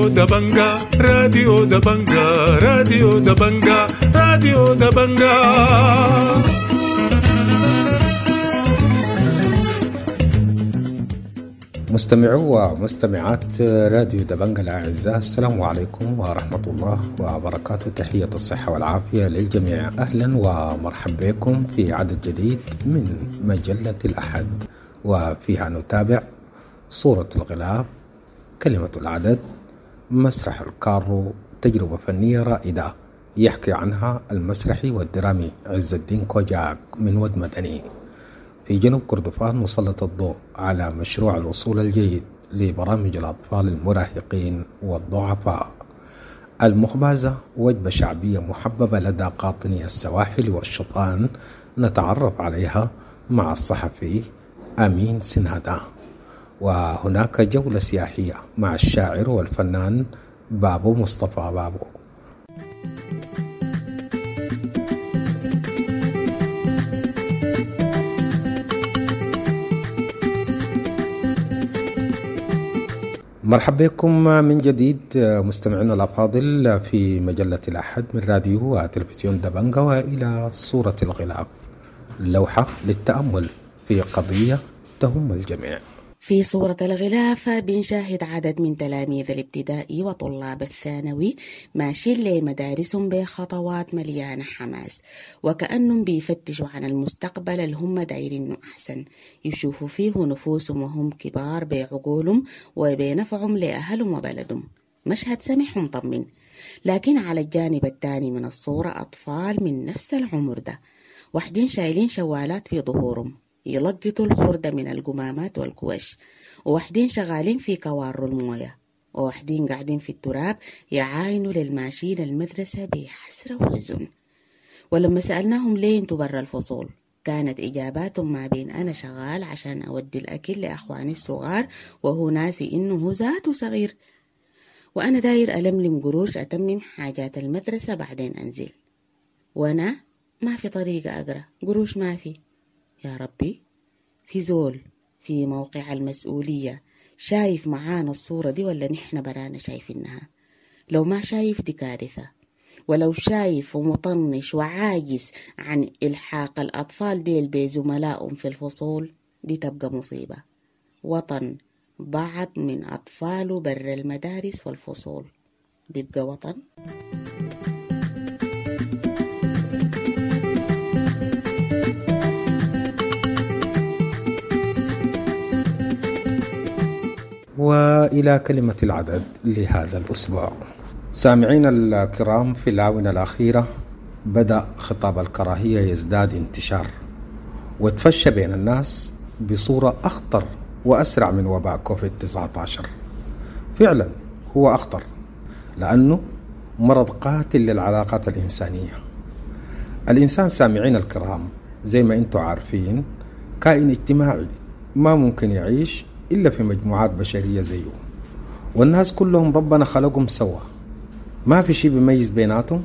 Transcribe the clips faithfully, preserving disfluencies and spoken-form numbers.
راديو دبنجا، راديو دبنجا، راديو دبنجا، راديو دبنجا. مستمعو ومستمعات راديو دبنجا الأعزاء، السلام عليكم ورحمة الله وبركاته. تحية الصحة والعافية للجميع. أهلا ومرحبا بكم في عدد جديد من مجلة الأحد، وفيها نتابع صورة الغلاف، كلمة العدد، مسرح الكارو، تجربة فنية رائدة يحكي عنها المسرحي والدرامي عز الدين كوجاك من ود مدني. في جنوب كردفان مسلط الضوء على مشروع الوصول الجيد لبرامج الأطفال المراهقين والضعفاء. المخبازة وجبة شعبية محببة لدى قاطني السواحل والشطآن، نتعرف عليها مع الصحفي أمين سنادة. وهناك جولة سياحية مع الشاعر والفنان بابو مصطفى بابو. مرحبا بكم من جديد مستمعينا الأفاضل في مجلة الأحد من راديو وتلفزيون دبنجا، وإلى صورة الغلاف، لوحة للتأمل في قضية تهم الجميع. في صورة الغلاف بنشاهد عدد من تلاميذ الابتدائي وطلاب الثانوي ماشيين لمدارسهم بخطوات مليانة حماس، وكأنهم بيفتشوا عن المستقبل اللي هم دايرينه أحسن، يشوفوا فيه نفوسهم وهم كبار بعقولهم وبنفعهم لأهلهم وبلدهم. مشهد سمح ومطمن. لكن على الجانب الثاني من الصورة أطفال من نفس العمر ده، واحدين شايلين شوالات في ظهورهم يلقطوا الخردة من القمامات والكوش، وواحدين شغالين في كوار الموية، وواحدين قاعدين في التراب يعاينوا للماشيين المدرسة بحسرة وحزن. ولما سألناهم ليه انتوا برا الفصول، كانت إجاباتهم ما بين أنا شغال عشان أودي الأكل لأخواني الصغار وهو ناسي إنه هو ذاته صغير، وأنا داير ألملم قروش أتمم حاجات المدرسة بعدين أنزل، وأنا ما في طريقة أقرأ، قروش ما في. يا ربي، في زول في موقع المسؤولية شايف معانا الصورة دي ولا نحن برانا شايفينها؟ لو ما شايف دي كارثة، ولو شايف ومطنش وعاجز عن إلحاق الأطفال ديل بزملائهم في الفصول دي تبقى مصيبة. وطن بعض من أطفاله بر المدارس والفصول بيبقى وطن؟ وإلى كلمة العدد لهذا الأسبوع. سامعين الكرام، في الآونة الأخيرة بدأ خطاب الكراهية يزداد انتشار وتفشى بين الناس بصورة أخطر وأسرع من وباء كوفيد تسعة عشر. فعلا هو أخطر لأنه مرض قاتل للعلاقات الإنسانية. الإنسان سامعين الكرام زي ما أنتم عارفين كائن اجتماعي ما ممكن يعيش إلا في مجموعات بشرية زيه، والناس كلهم ربنا خلقهم سوا، ما في شيء بيميز بيناتهم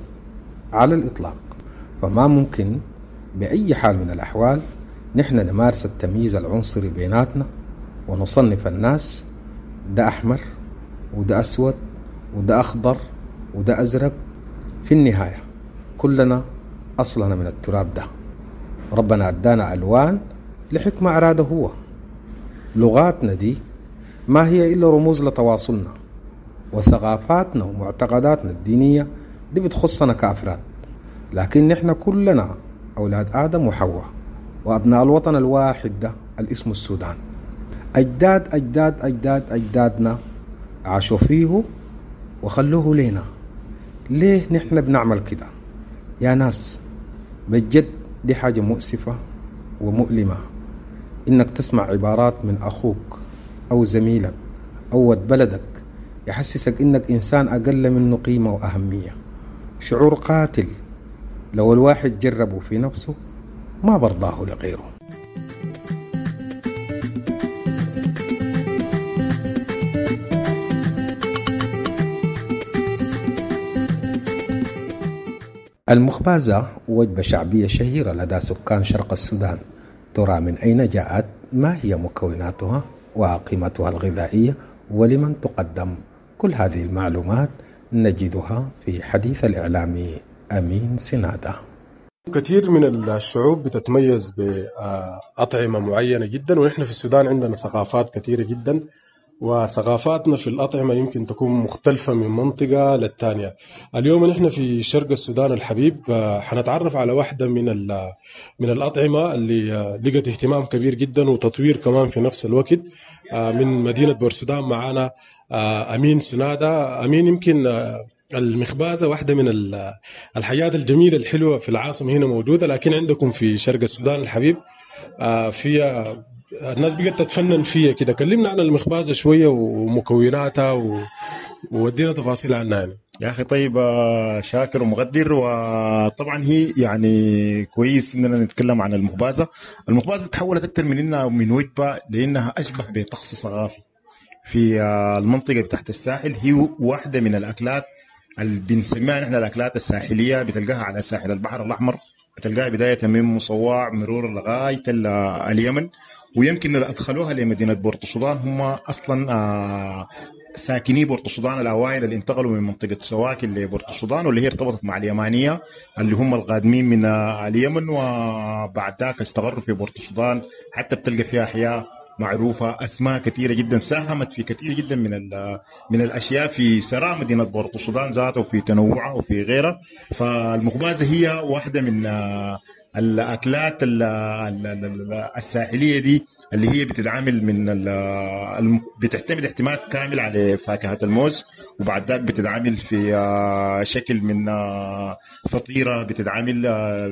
على الإطلاق. فما ممكن بأي حال من الأحوال نحن نمارس التمييز العنصري بيناتنا ونصنف الناس ده أحمر وده أسود وده أخضر وده أزرق. في النهاية كلنا أصلنا من التراب ده، ربنا أدانا ألوان لحكمة أراده هو. لغاتنا دي ما هي إلا رموز لتواصلنا، وثقافاتنا ومعتقداتنا الدينية دي بتخصنا كأفراد، لكن نحن كلنا أولاد آدم وحواء وأبناء الوطن الواحد ده الاسم السودان. أجداد أجداد أجداد أجدادنا عاشوا فيه وخلوه لينا. ليه نحن بنعمل كده يا ناس؟ بجد دي حاجة مؤسفة ومؤلمة إنك تسمع عبارات من أخوك أو زميلك أو ود بلدك يحسسك إنك إنسان أقل منه قيمة وأهمية. شعور قاتل لو الواحد جربه في نفسه ما برضاه لغيره. المخبازة وجبة شعبية شهيرة لدى سكان شرق السودان. ترى من أين جاءت؟ ما هي مكوناتها وقيمتها الغذائية؟ ولمن تقدم؟ كل هذه المعلومات نجدها في حديث الإعلامي أمين سنادة. كثير من الشعوب بتتميز بأطعمة معينة جدا، ونحن في السودان عندنا ثقافات كثيرة جدا، وثقافاتنا في الأطعمة يمكن تكون مختلفة من منطقة للتانية. اليوم نحن في شرق السودان الحبيب حنتعرف على واحدة من من الأطعمة اللي لقت اهتمام كبير جدا وتطوير كمان في نفس الوقت من مدينة بورسودان. معنا أمين سنادة. أمين، يمكن المخبازة واحدة من الحاجات الجميلة الحلوة في العاصمة هنا موجودة، لكن عندكم في شرق السودان الحبيب في الناس بقت تتفنن فيها كده. كلمنا عن المخبازة شوية ومكوناتها و... وودينا تفاصيل عنها يعني. يا أخي طيب، شاكر ومقدر. وطبعا هي يعني كويس إننا نتكلم عن المخبازة. المخبازة تحولت أكثر من إنها من وجبة لأنها أشبه بطقس ثقافي في المنطقة بتاعت الساحل. هي واحدة من الأكلات اللي بنسميها نحن الأكلات الساحلية، بتلقاها على ساحل البحر الأحمر، بتلقاها بداية من مصواع مرور لغاية اليمن، ويمكن اللي أدخلوها لمدينة بورتسودان هم أصلا ساكني بورتسودان الأوائل اللي انتقلوا من منطقة سواكن لبورتسودان، واللي هي ارتبطت مع اليمانية اللي هم القادمين من اليمن، وبعد ذاك استقروا في بورتسودان. حتى بتلقى فيها أحياء معروفة، أسماء كثيرة جدا ساهمت في كثير جدا من من الأشياء في سراء مدينة بورتسودان ذاته وفي تنوعها وفي غيرها. فالمخبازة هي واحدة من الأكلات الساحلية دي اللي هي بتتعامل من بتعتمد اعتماد كامل على فاكهة الموز، وبعد ذاك بتتعامل في شكل من فطيرة، بتتعامل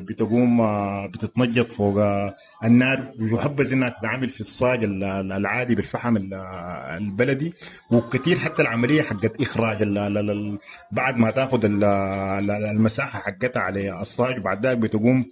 بتقوم بتتنجط فوق النار، ويحبذ انها تتعامل في الصاج العادي بالفحم البلدي. وكثير حتى العملية حقت إخراج بعد ما تاخذ المساحة حقتها على الصاج، وبعد ذاك بتقوم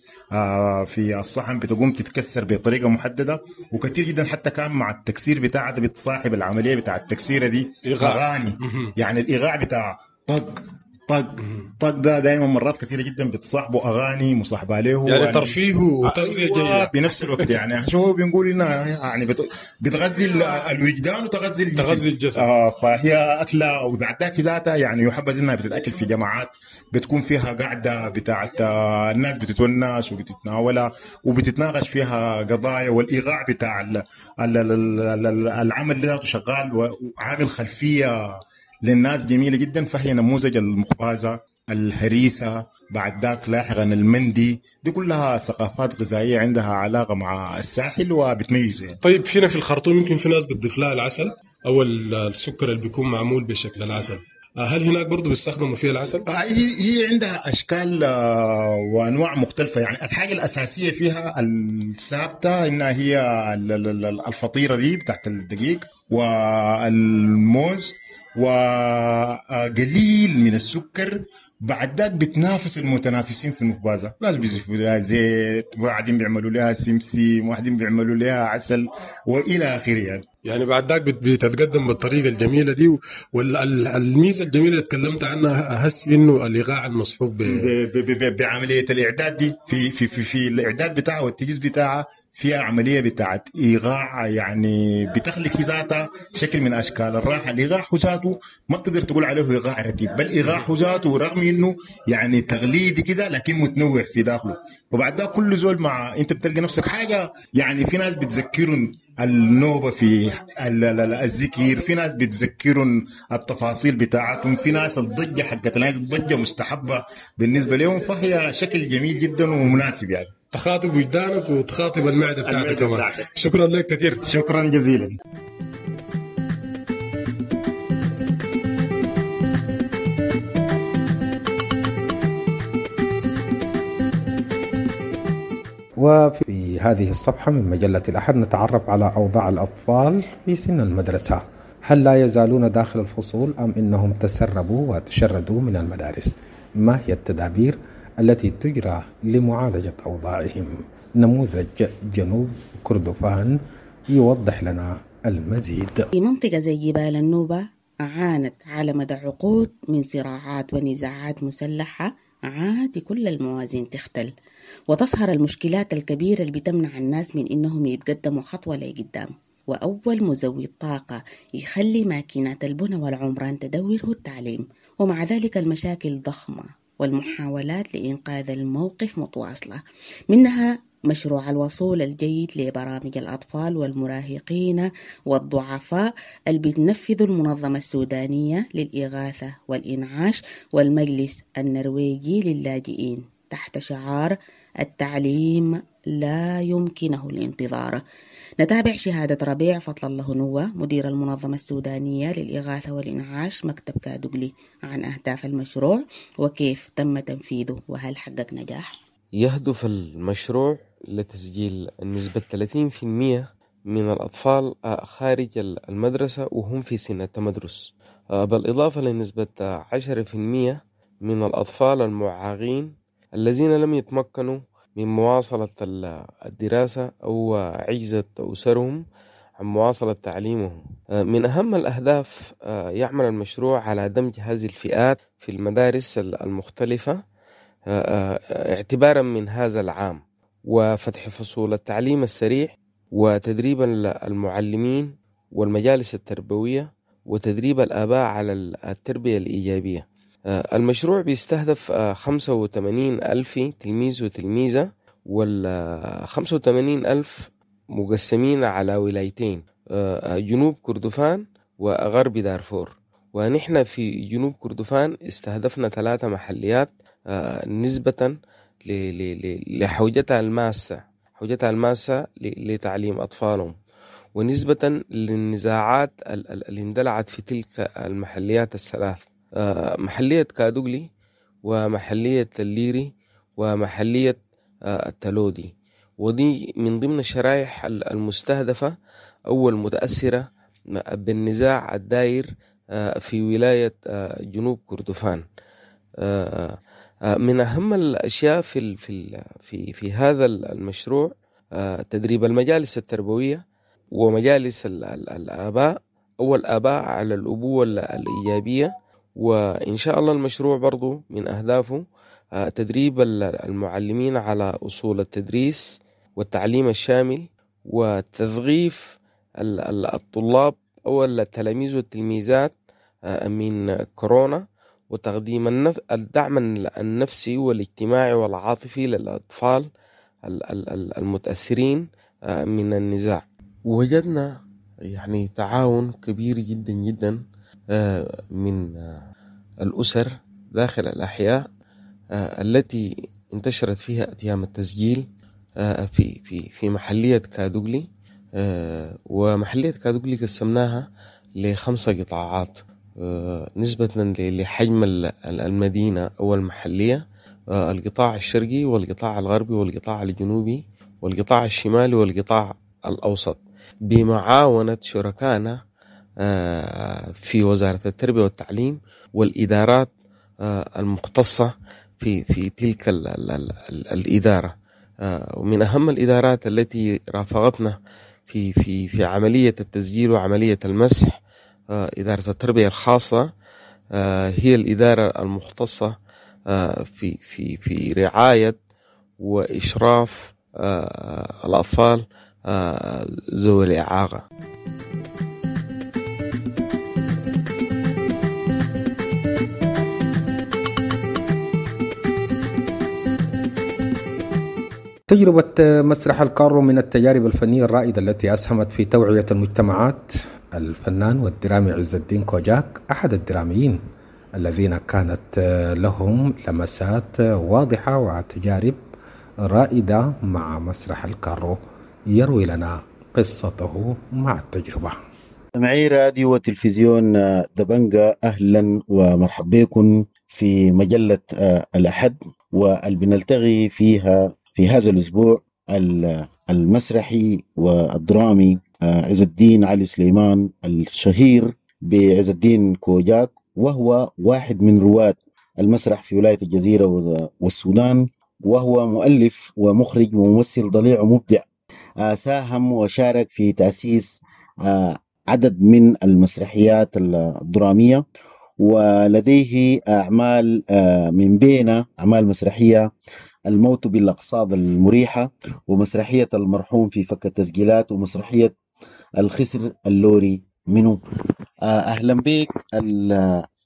في الصحن بتقوم تتكسر بطريقة محددة. وكثير جدا حتى كان مع التكسير بتاعته بتصاحب العملية بتاع التكسيرة دي أغاني، يعني الإيقاع بتاع طق طق طق ده دائما مرات كثيرة جدا بتصاحبه أغاني مصاحبة له، يعني ترفيه وتغذية جيدة بنفس الوقت. يعني شو بنقول إنها يعني بتغذي الوجدان وتغذي الجسم، تغذي الجسم. آه فهي أكلة، وبعد ذاك ذاتها يعني يحبذ إنها بتتأكل في جماعات بتكون فيها قاعدة بتاعت الناس بتتونس وبتتناولها وبتتناقش فيها قضايا، والإيقاع بتاع العمل ذاته شغال وعامل خلفية للناس جميلة جدا. فهي نموذج المخبازة، الهريسة، بعد ذاك لاحقا المندي، دي كلها ثقافات غذائية عندها علاقة مع الساحل وبتميز يعني. طيب هنا في الخرطوم يمكن في ناس بتضيف لها العسل أو السكر اللي بيكون معمول بشكل العسل، هل هناك برضو بيستخدموا فيها العسل؟ هي هي عندها أشكال وأنواع مختلفة. يعني الحاجة الأساسية فيها الثابتة إنها هي الفطيرة دي بتاعت الدقيق والموز وقليل من السكر. بعد ذاك بتنافس المتنافسين في المخبازة، ناس بيضيفوا لها زيت، وبعدين بيعملوا لها سمسم، وبعدين بيعملوا لها عسل والى اخره. يعني يعني بعد ذاك بتتقدم بالطريقة الجميلة دي. والميزة الجميلة اللي تكلمت عنها هس انه الايقاع المصحوب ب... ب... ب... ب... بعملية الاعداد دي في في في, في الاعداد بتاعها والتجهيز بتاعها فيها عملية بتاعت ايقاع، يعني بتخلق ذاتها شكل من اشكال الراحة. الايقاع ذاته ما بتقدر تقول عليه ايقاع رتيب، بل ايقاع ذاته رغم انه يعني تقليدي كده لكن متنوع في داخله. وبعد ذاك كل زول مع انت بتلقى نفسك حاجة. يعني في ناس بتذكرون النوبة في الذكر، في ناس بتذكرون التفاصيل بتاعتهم، في ناس الضجة حقت الضجة مستحبة بالنسبة لهم. فهي شكل جميل جدا ومناسب، يعني تخاطب وجدانك وتخاطب المعدة بتاعتك كمان. شكرا لك كثير، شكرا جزيلا. وفي هذه الصفحة من مجلة الأحد نتعرف على أوضاع الأطفال في سن المدرسة، هل لا يزالون داخل الفصول أم إنهم تسربوا وتشردوا من المدارس؟ ما هي التدابير التي تجرى لمعالجة أوضاعهم؟ نموذج جنوب كردفان يوضح لنا المزيد. في منطقة زي جبال النوبة عانت على مدى عقود من صراعات ونزاعات مسلحة، عادي كل الموازين تختل وتظهر المشكلات الكبيرة اللي بتمنع الناس من إنهم يتقدموا خطوة لقدام. وأول مزود طاقة يخلي ماكينات البنى والعمران تدور هو التعليم. ومع ذلك المشاكل ضخمة والمحاولات لإنقاذ الموقف متواصلة، منها مشروع الوصول الجيد لبرامج الأطفال والمراهقين والضعفاء اللي بتنفذ المنظمة السودانية للإغاثة والإنعاش والمجلس النرويجي للاجئين تحت شعار التعليم لا يمكنه الانتظار. نتابع شهادة ربيع فضل الله نوة مدير المنظمة السودانية للإغاثة والإنعاش مكتب كادوغلي عن أهداف المشروع وكيف تم تنفيذه وهل حقق نجاح. يهدف المشروع لتسجيل نسبة ثلاثين بالمئة من الأطفال خارج المدرسة وهم في سن التمدرس، بالإضافة لنسبة عشرة بالمئة من الأطفال المعاقين الذين لم يتمكنوا من مواصلة الدراسة أو عجزت أسرهم عن مواصلة تعليمهم. من أهم الأهداف يعمل المشروع على دمج هذه الفئات في المدارس المختلفة اعتبارا من هذا العام، وفتح فصول التعليم السريع وتدريب المعلمين والمجالس التربوية وتدريب الآباء على التربية الإيجابية. المشروع بيستهدف خمسة وثمانين ألف تلميذ وتلميذة، وال خمسة وثمانين ألف مقسمين على ولايتين، جنوب كردفان وغرب دارفور. ونحن في جنوب كردفان استهدفنا ثلاثة محليات نسبة لحوجتها الماسة، حوجتها الماسة لتعليم أطفالهم، ونسبة للنزاعات اللي اندلعت في تلك المحليات الثلاث، محلية كادوغلي ومحلية الليري ومحلية التلودي. ودي من ضمن الشرائح المستهدفة أو المتأثرة بالنزاع الدائر في ولاية جنوب كردفان. من أهم الأشياء في في في في هذا المشروع تدريب المجالس التربوية ومجالس الآباء أو الآباء على الأبوة الإيجابية. وإن شاء الله المشروع برضو من أهدافه تدريب المعلمين على أصول التدريس والتعليم الشامل، وتثقيف الطلاب أو التلاميذ والتلميذات من كورونا، وتقديم الدعم النفسي والاجتماعي والعاطفي للأطفال المتأثرين من النزاع. وجدنا يعني تعاون كبير جدا جدا من الأسر داخل الأحياء التي انتشرت فيها أتيام التسجيل في في في محلية كادوغلي. ومحلية كادوغلي قسمناها لخمسة قطاعات نسبة لحجم المدينة أو المحلية: القطاع الشرقي والقطاع الغربي والقطاع الجنوبي والقطاع الشمالي والقطاع الأوسط، بمعاونة شركائنا في وزارة التربية والتعليم والإدارات المختصة في في تلك ال ال ال الإدارة. ومن أهم الإدارات التي رافقتنا في في في عملية التسجيل وعملية المسح إدارة التربية الخاصة، هي الإدارة المختصة في في في رعاية وإشراف الأطفال ذوي الإعاقة. تجربة مسرح الكارو من التجارب الفنية الرائدة التي أسهمت في توعية المجتمعات. الفنان والدرامي عز الدين كوجاك أحد الدراميين الذين كانت لهم لمسات واضحة وتجارب رائدة مع مسرح الكارو، يروي لنا قصته مع التجربة. معي راديو وتلفزيون دبنجة، أهلا ومرحبا بكم في مجلة الأحد، واللي بنلتقي فيها في هذا الأسبوع المسرحي والدرامي عز الدين علي سليمان الشهير بعز الدين كوجاك، وهو واحد من رواد المسرح في ولاية الجزيرة والسودان، وهو مؤلف ومخرج وممثل ضليع ومبدع. ساهم وشارك في تأسيس عدد من المسرحيات الدرامية، ولديه أعمال من بين أعمال مسرحية الموت بالأقصاد المريحة، ومسرحية المرحوم في فك التسجيلات، ومسرحية الخسر اللوري منو. أهلا بك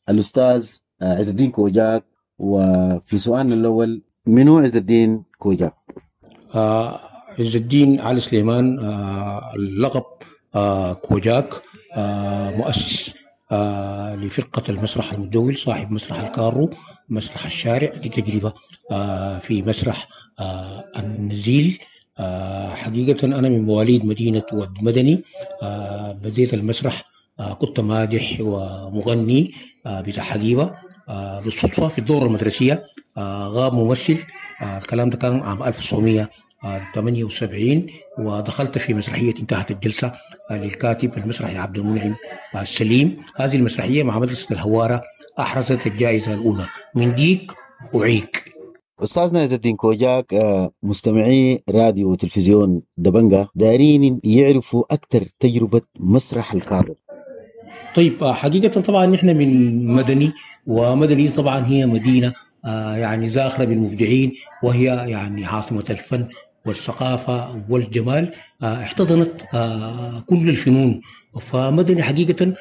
الأستاذ عز الدين كوجاك. وفي سؤالنا الأول، منو عز الدين كوجاك؟ آه عز الدين علي سليمان، آه اللقب آه كوجاك، آه مؤسس آه لفرقة المسرح المتجول، صاحب مسرح الكارو، مسرح الشارع، دي تجربة آه في مسرح آه النزيل. آه حقيقة أنا من مواليد مدينة ود مدني. آه بديت المسرح آه كنت مادح ومغني آه بتاع حقيبة. آه بالصدفة في الدورة المدرسية آه غاب ممثل، آه الكلام ده كان عام ألف وتسعمية وثمانية وسبعين، ودخلت في مسرحية انتهت الجلسة آه للكاتب المسرحي عبد المنعم آه السليم. هذه المسرحية مع مدرسة الهوارة أحرزت الجائزة الأولى. من ديك أعيك. أستاذنا عز الدين كوجاك، مستمعي راديو وتلفزيون دبنجة دارين يعرفوا أكثر تجربة مسرح الكارو. طيب حقيقة طبعا نحن من مدني، ومدني طبعا هي مدينة يعني زاخرة بالمبدعين، وهي يعني عاصمة الفن والثقافة والجمال، احتضنت كل الفنون. فمدني حقيقة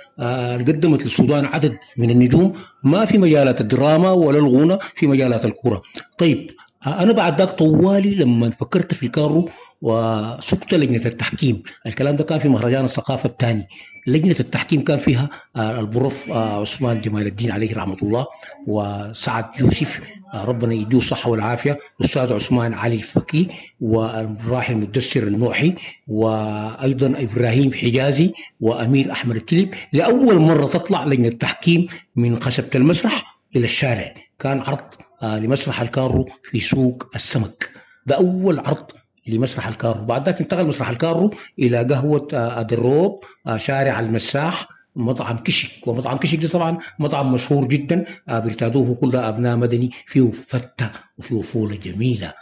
قدمت للسودان عدد من النجوم، ما في مجالات الدراما ولا الغنى، في مجالات الكرة. طيب أنا بعد ذاك طوالي لما فكرت في الكارو وسقت لجنة التحكيم، الكلام ده كان في مهرجان الثقافة الثاني. لجنة التحكيم كان فيها البروف عثمان جمال الدين عليه رحمة الله، وسعد يوسف ربنا يديه الصحة والعافية، أستاذ عثمان علي الفكي، والراحل المدثر النوحي، وأيضا إبراهيم حجازي، وأمير أحمد التليب. لأول مرة تطلع لجنة التحكيم من خشبة المسرح إلى الشارع. كان عرض لمسرح الكارو في سوق السمك، ده أول عرض لمسرح الكارو. بعد ذاك انتقل مسرح الكارو إلى قهوة أدروب، شارع المساح، مطعم كشك. ومطعم كشك ده طبعا مطعم مشهور جدا بيرتادوه كل أبناء مدني، فيه فتة وفيه فولة جميلة.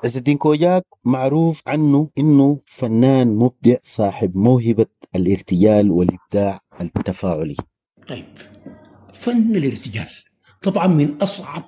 عز الدين كوجاك معروف عنه إنه فنان مبدع صاحب موهبة الارتجال والإبداع التفاعلي. طيب فن الارتجال طبعا من أصعب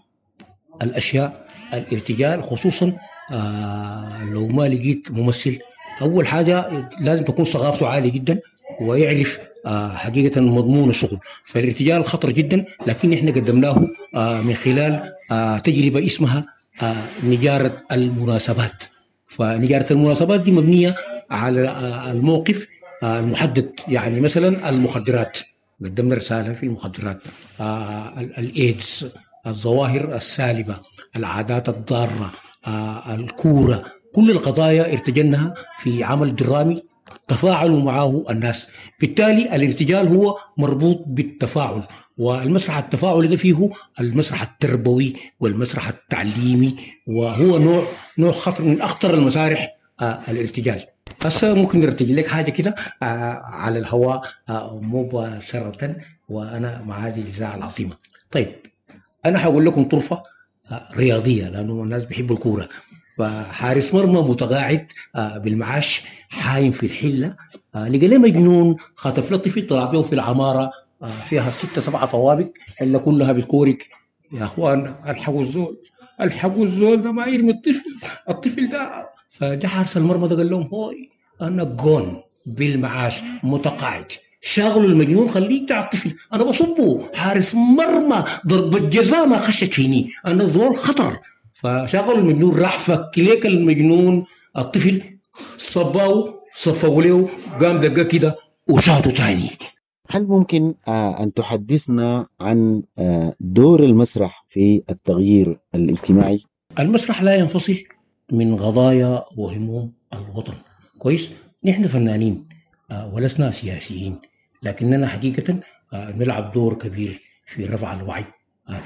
الأشياء الارتجال، خصوصا آه لو ما لقيت ممثل. أول حاجة لازم تكون ثقافته عالية جدا ويعرف آه حقيقة مضمون الشغل. فالارتجال خطر جدا، لكن احنا قدمناه آه من خلال آه تجربة اسمها آه نجارة المناسبات. فنجارة المناسبات دي مبنية على آه الموقف آه المحدد، يعني مثلا المخدرات، قدمنا رسالة في المخدرات، آه الإيدز، الظواهر السالبة، العادات الضارة، آه الكورة، كل القضايا ارتجلناها في عمل درامي تفاعلوا معه الناس. بالتالي الارتجال هو مربوط بالتفاعل، والمسرح التفاعلي ده فيه المسرح التربوي والمسرح التعليمي، وهو نوع نوع خطر من أخطر المسارح آه الارتجال. هسه ممكن نرتجل لك حاجة كده آه على الهواء آه مباشرة، وأنا مع هذه الإذاعة العظيمة. طيب أنا هقول لكم طرفة رياضية لأنه الناس بيحبوا الكورة. فحارس مرمى متقاعد بالمعاش حايم في الحلة، لقى ليه مجنون خاطف له طفل طلع به في العمارة فيها ستة سبعة طوابق، حلة كلها بالكورك. يا أخوان الحقوا الزول، الحقوا الزول ده ما يرمي الطفل، الطفل ده. فجاء حارس المرمى ده قال لهم هوي أنا جون بالمعاش متقاعد، شاغلوا المجنون خليه بتاع الطفل، انا بصبه حارس مرمى ضربة جزاء ما خشت فيني، انا زول خطر. فشاغلوا المجنون، راح فك ليك المجنون الطفل، صباه صفوا له، قام دقه كده وشاطه تاني. هل ممكن أن تحدثنا عن دور المسرح في التغيير الاجتماعي؟ المسرح لا ينفصل من قضايا وهموم الوطن. كويس، نحن فنانين ولسنا سياسيين، لكننا حقيقة نلعب دور كبير في رفع الوعي،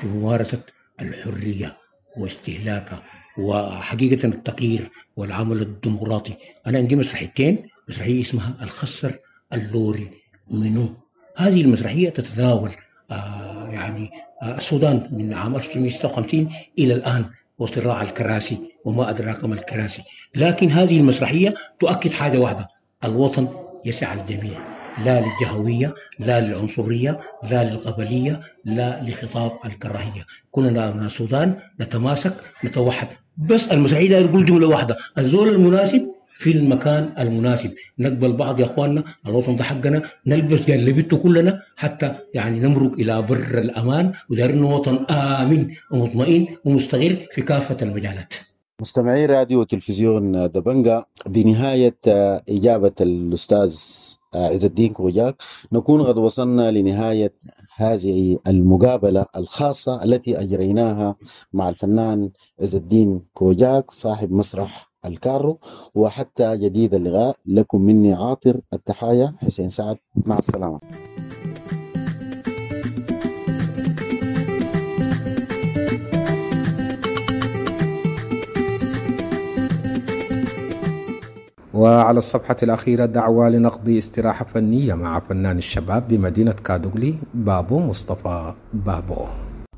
في ممارسة الحرية واستهلاكها، وحقيقة التغيير والعمل الديمقراطي. أنا عندي مسرحيتين، مسرحية اسمها الخسر اللوري منو. هذه المسرحية تتناول آه يعني آه السودان من عام ألف وتسعمائة وستة وخمسين إلى الآن وصراع الكراسي وما أدراك ما الكراسي. لكن هذه المسرحية تؤكد حاجة واحدة: الوطن يسع الجميع، لا للجهوية، لا للعنصرية، لا للقبلية، لا لخطاب الكراهية. كلنا أبناء السودان نتماسك نتوحد. بس المسرحية يقول جملة واحدة: الزول المناسب في المكان المناسب. نقبل بعض يا اخواننا، الوطن ده حقنا، نلبس جلبته كلنا حتى يعني نمرق الى بر الامان، ودارين وطن امن ومطمئن ومستقر في كافة المجالات. مستمعي راديو وتلفزيون دبنجا، بنهاية إجابة الأستاذ عز الدين كوجاك نكون قد وصلنا لنهاية هذه المقابلة الخاصة التي أجريناها مع الفنان عز الدين كوجاك صاحب مسرح الكارو. وحتى جديد اللقاء، لكم مني عاطر التحايا، حسين سعد، مع السلامة. وعلى الصفحة الأخيرة دعوة لنقضي استراحة فنية مع فنان الشباب بمدينة كادوغلي بابو مصطفى بابو.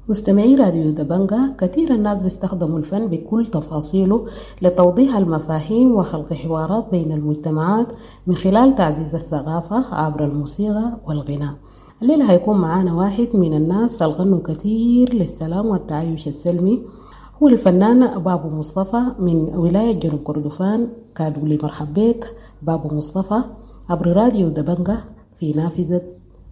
مستمعي راديو دبنجا، كثير الناس بيستخدموا الفن بكل تفاصيله لتوضيح المفاهيم وخلق حوارات بين المجتمعات من خلال تعزيز الثقافة عبر الموسيقى والغناء. الليلة هيكون معانا واحد من الناس الغنوا كثير للسلام والتعايش السلمي، هو الفنان بابو مصطفى من ولاية جنوب كردفان كادولي. مرحب بك بابو مصطفى عبر راديو دبنجة في نافذة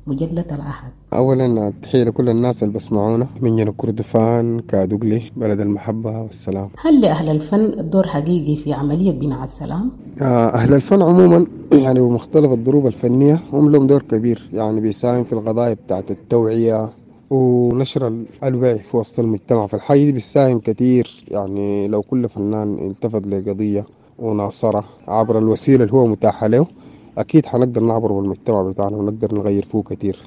مجلة العهد. أولا تحية لكل الناس اللي بسمعونا من جنوب كردفان كادوغلي، بلد المحبة والسلام. هل لأهل الفن دور حقيقي في عملية بناء السلام؟ أهل الفن عموما يعني ومختلف الضروب الفنية هم لهم دور كبير، يعني بيساهم في القضايا بتاعت التوعية ونشر الوعي في وسط المجتمع. فالحاجة دي بتساهم كتير، يعني لو كل فنان التفت لقضية وناصرها عبر الوسيلة اللي هو متاحة له أكيد حنقدر نعبر بالمجتمع بتاعنا ونقدر نغير فيه كتير.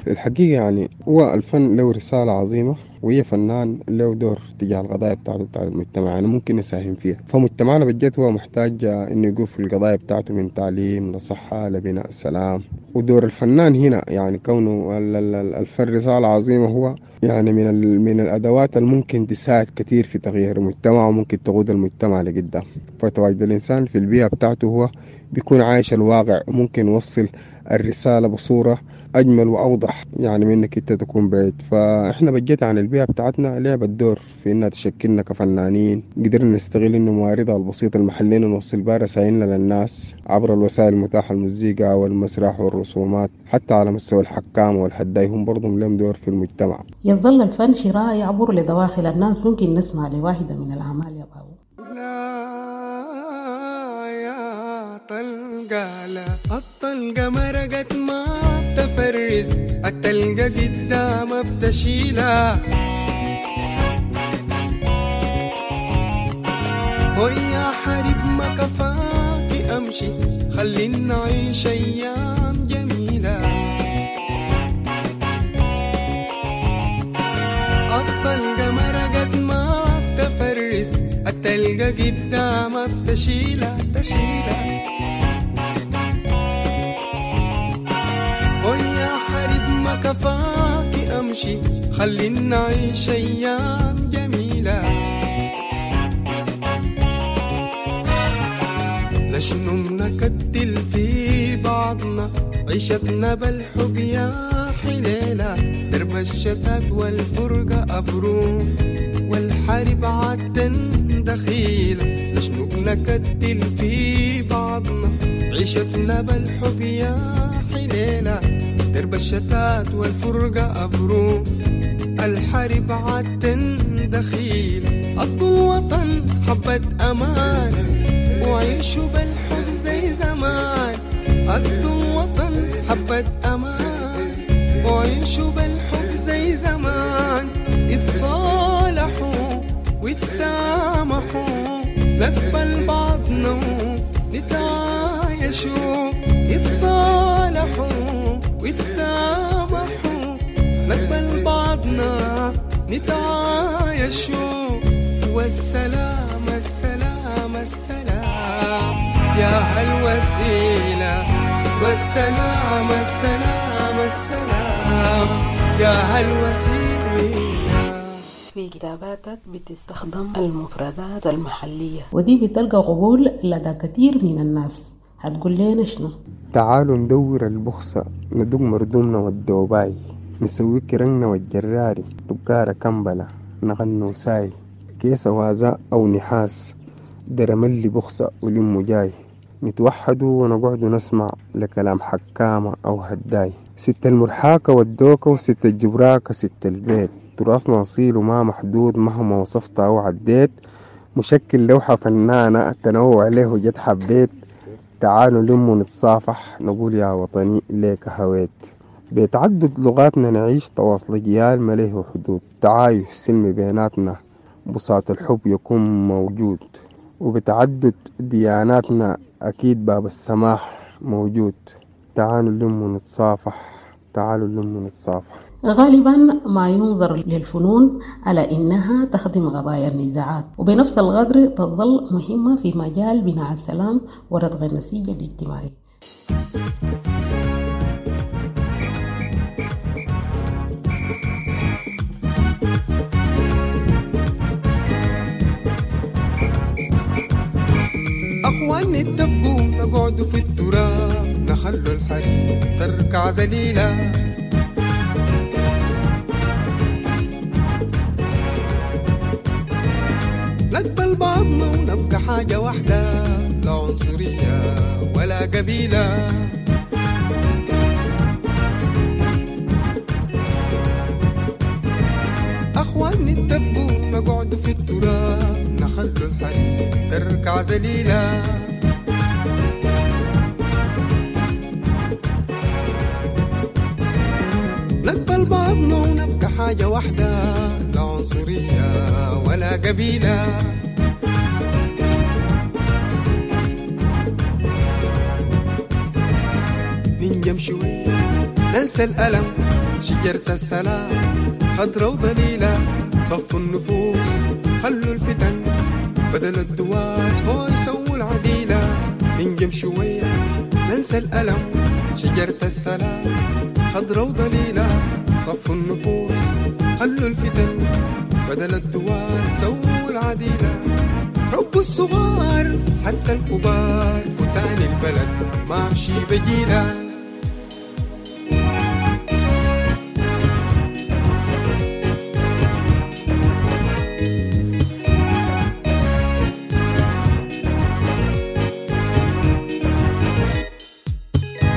الحقيقة يعني هو الفن له رسالة عظيمة، وهي فنان له دور تجاه القضايا بتاعته بتاع المجتمع، يعني ممكن يساهم فيها. فمجتمعنا بجد هو محتاج إنه يقف في القضايا بتاعته من تعليم لصحة لبناء سلام. ودور الفنان هنا يعني كونه الفن رسالة عظيمة، هو يعني من من الأدوات الممكن تساعد كثير في تغيير المجتمع وممكن تقود المجتمع لقدام. فتواجد الإنسان في البيئة بتاعته هو بيكون عايش الواقع وممكن يوصل الرسالة بصورة أجمل وأوضح يعني من إنك أنت تكون بعيد. فإحنا بجد عن البيئة بتاعتنا لعبت دور في إنها تشكلنا كفنانين، قدرنا نستغل إنه مواردها البسيطة المحلية نوصل بها رسائلنا للناس عبر الوسائل المتاحة، المزيكا والمسرح والرسومات، حتى على مستوى الحكام والحداي هم برضهم لهم دور في المجتمع. يظل الفن شراء يعبر لدواخل الناس. ممكن نسمع لواحدة من الأعمال يا بابو؟ طلقة لا الطلقة مرقت ما بتفرز، التلقى قدام بتشيلها، ويا حرب ما كفاكي أمشي خلينا نعيش أيام جميلة. الطلقة مرقت ما بتفرز، التلقى قدام بتشيلها تشيلها، ويا حرب ما كفاكي أمشي خلينا نعيش أيام جميلة. لشنو منكتل في بعضنا عيشتنا بالحب يا حليلة، درب الشتات والفرقة أبروم والحرب عالتن دخيلة. لشنو بنكتل في بعضنا عيشتنا بالحب يا حليلة، درب الشتات والفرقة أبروم الحرب عالتن دخيلة. أرض الوطن حبة أمان وعيشوا بالحب زي زمان، أرض الوطن حبة أمان وعيشوا بالحب زي زمان، يتصالحوا ويتسامحوا نقبل بعضنا ونتعايشوا، يتصالحوا ويتسامحوا نقبل بعضنا نتعايشوا. والسلام السلام السلام يا هالوسيلة، والسلام السلام السلام يا هالوسيلة. في كتاباتك بتستخدم المفردات المحلية ودي بتلقى قبول لدى كثير من الناس، هتقول لنا شنو؟ تعالوا ندور البخصة ندق مردومنا والدوباي، نسوي كرننا والجراري دقارة كمبلة نغنو ساي، كيس وازاء أو نحاس درملي بخسة ولمو جاي. نتوحدوا ونقعدوا نسمع لكلام حكامة أو هداي. ست المرحاكة والدوكة وست الجبراكة ست البيت. تراثنا أصيل وما محدود مهما وصفت أو عديت. مشكل لوحة فنانة تنوع له جد حبيت. تعالوا لموا نتصافح نقول يا وطني ليك هويت. بتعدد لغاتنا نعيش تواصل أجيال ما له حدود. تعايش سلمي بيناتنا بساط الحب يكون موجود. وبتعدد دياناتنا أكيد باب السماح موجود. تعالوا لموا نتصافح، تعالوا لموا نتصافح. غالبا ما ينظر للفنون على إنها تخدم قضايا النزاعات، وبنفس القدر تظل مهمة في مجال بناء السلام وردغ النسيج الاجتماعي. أخوان اتفقوا نقعدوا في التراب، نخلوا الحريم تركع ذليلة. نقبل بعضنا ونبقى حاجة واحدة، لا عنصرية ولا قبيلة. أخوان اتفقوا نقعدوا في التراب، نخلوا الحريم تركع ذليلة. نقبل بعضنا ونبقى حاجة واحدة، لا عنصرية ولا قبيلة. ننجم شوي ننسى الألم، شجرة السلام خضرة وضليلة. صفوا النفوس خلوا الفتن، بدل الدواس هو يسووا العديلة. ننجم شوية ننسى الألم، شجرة السلام خضرة وضليلة. صفوا النفوس خلوا الفتن، بدل الدواس سووا العديلة. ربوا الصغار حتى الكبار، وتاني البلد ما مشي بجيلة.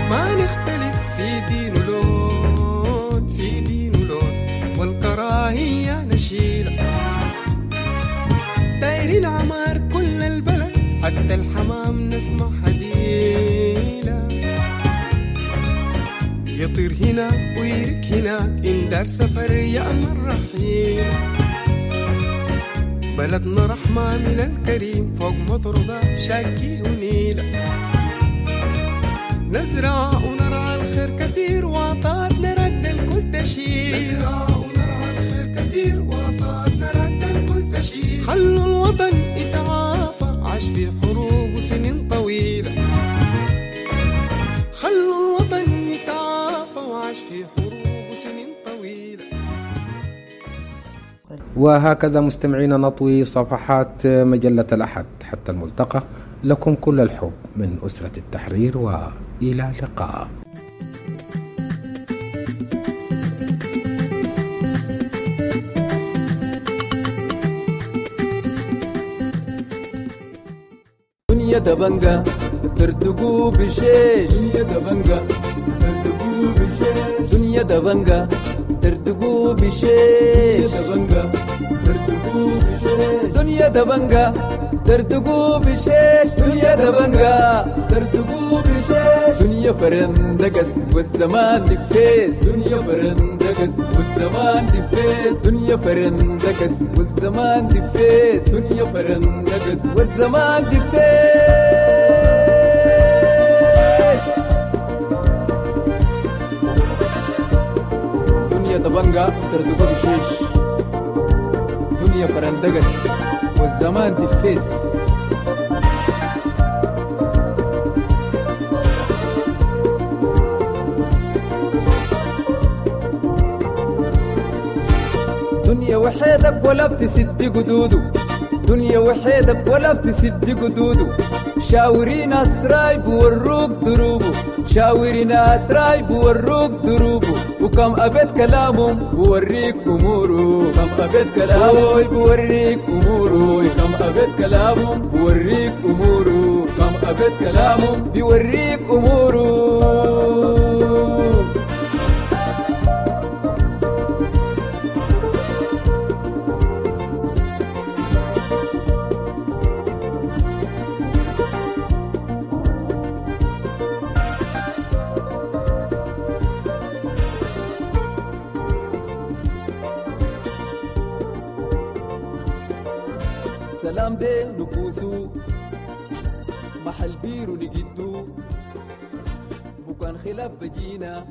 ما نختلف في دين ولون، في دين ولون والكراهية نشيلة. دايرين عمار كل البلد، حتى الحمام نسمع حديلة. يطير هنا ويرك هناك، إن دار سفر يأمن رحيل. بلدنا رحمة من الكريم، فوق مطرده شاكي ونيلة. نزرع ونرعى الخير كتير، وعطاتنا رد الكل تشيل. نزرع ونرعى الخير كتير، وعطاتنا رد الكل تشيل. خلوا الوطن يتعافى، عاش في حروب وسنين طويلة. خلوا الوطن يتعافى، وعاش في حروب وسنين طويلة. وهكذا مستمعينا نطوي صفحات مجلة الأحد حتى الملتقى. لكم كل الحب من أسرة التحرير، وإلى اللقاء. دنيا دبنجة ترتقو بشيش، دنيا دبنجة ترتقو بشيش، دنيا دبنجة ترتقو بشيش، دبنجة ترتقو بشيش، دنيا دبنجة ترتقو بشيش، دنيا دبنجة ترتقو بشيش. دنيا فرندقس والزمان دفيس، دنيا فرندقس والزمان دفيس، دنيا فرندقس والزمان دفيس، دنيا فرندقس والزمان دفيس. دنيا دبنجة ترتقو بشيش، دنيا فرندقس والزمان دفيس. دنيا وحيدك ولا بتسد قدوده، دنيا وحيدك ولا بتسد قدوده. شاوري ناس رايب وروك دروبه، شاوري ناس راي بوروك دروبه، وكم أبيت كلامهم بوريك أموره، كم أبيت كلامه بوريك أموره، كم أبيت كلامهم بوريك أموره، كم أبيت كلامهم بيوريك أموره. سلام دي نكوسو محل بيرو نجدو بكان خلاف بجينا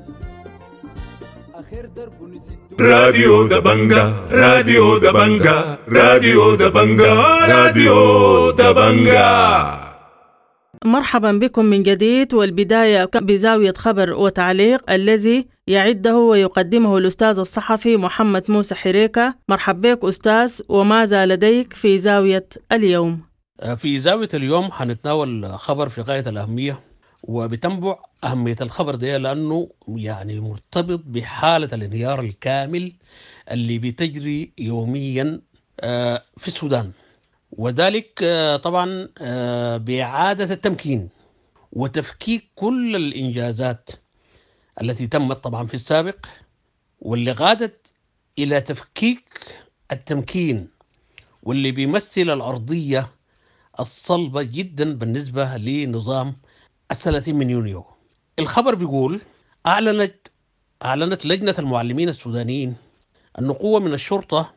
آخر درب نسدو. راديو دبنجا، راديو دبنجا، راديو دبنجا، راديو دبنجا. مرحبا بكم من جديد، والبداية بزاوية خبر وتعليق الذي يعده ويقدمه الأستاذ الصحفي محمد موسى حريكة. مرحبا بك أستاذ، وماذا لديك في زاوية اليوم؟ في زاوية اليوم حنتناول خبر في غاية الأهمية، وبتنبع أهمية الخبر ده لأنه يعني مرتبط بحالة الانهيار الكامل اللي بتجري يوميا في السودان، وذلك طبعا بإعادة التمكين وتفكيك كل الإنجازات التي تمت طبعا في السابق، واللي غادت إلى تفكيك التمكين واللي بيمثل الأرضية الصلبة جدا بالنسبة لنظام الثلاثين من يونيو. الخبر بيقول أعلنت أعلنت لجنة المعلمين السودانيين أن قوة من الشرطة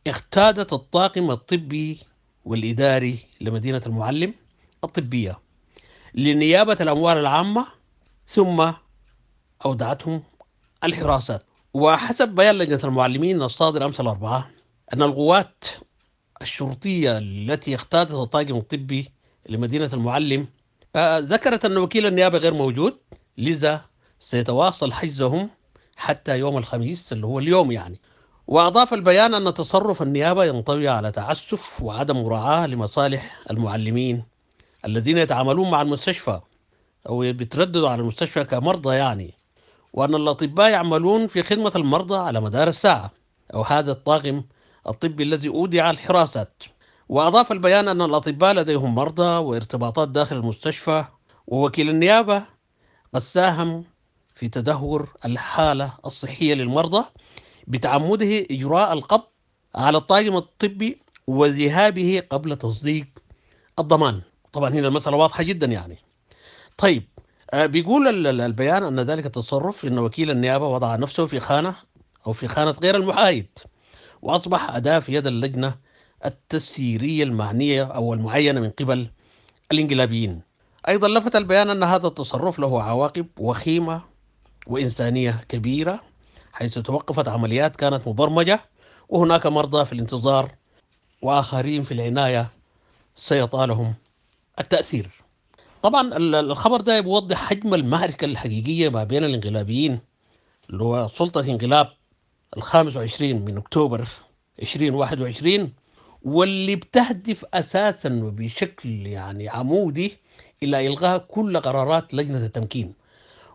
اقتادت الطاقم الطبي والإداري لمدينة المعلم الطبية لنيابة الأموال العامة، ثم أودعتهم الحراسات. وحسب بيان لجنة المعلمين الصادر أمس الأربعاء أن القوات الشرطية التي اقتادت الطاقم الطبي لمدينة المعلم ذكرت أن وكيل النيابة غير موجود، لذا سيتواصل حجزهم حتى يوم الخميس اللي هو اليوم يعني. وأضاف البيان أن تصرف النيابة ينطوي على تعسف وعدم مراعاة لمصالح المعلمين الذين يتعاملون مع المستشفى أو بيترددوا على المستشفى كمرضى يعني، وأن الأطباء يعملون في خدمة المرضى على مدار الساعة أو هذا الطاقم الطبي الذي أودع الحراسات. وأضاف البيان أن الأطباء لديهم مرضى وارتباطات داخل المستشفى، ووكيل النيابة قد ساهم في تدهور الحالة الصحية للمرضى بتعمده إجراء القبض على الطاقم الطبي وذهابه قبل تصديق الضمان. طبعا هنا المسألة واضحة جدا يعني. طيب بيقول البيان أن ذلك التصرف إن وكيل النيابة وضع نفسه في خانة أو في خانة غير المحايد، وأصبح أداة في يد اللجنة التسييرية المعنية أو المعينة من قبل الانقلابيين. أيضا لفت البيان أن هذا التصرف له عواقب وخيمة وإنسانية كبيرة، حيث توقفت عمليات كانت مبرمجة وهناك مرضى في الانتظار وآخرين في العناية سيطالهم التأثير. طبعا الخبر ده بيوضح حجم المعركة الحقيقية ما بين الانقلابيين اللي هو سلطة انقلاب الخامس وعشرين من أكتوبر عشرين واحد وعشرين، واللي بتهدف أساسا وبشكل يعني عمودي إلى إلغاء كل قرارات لجنة التمكين.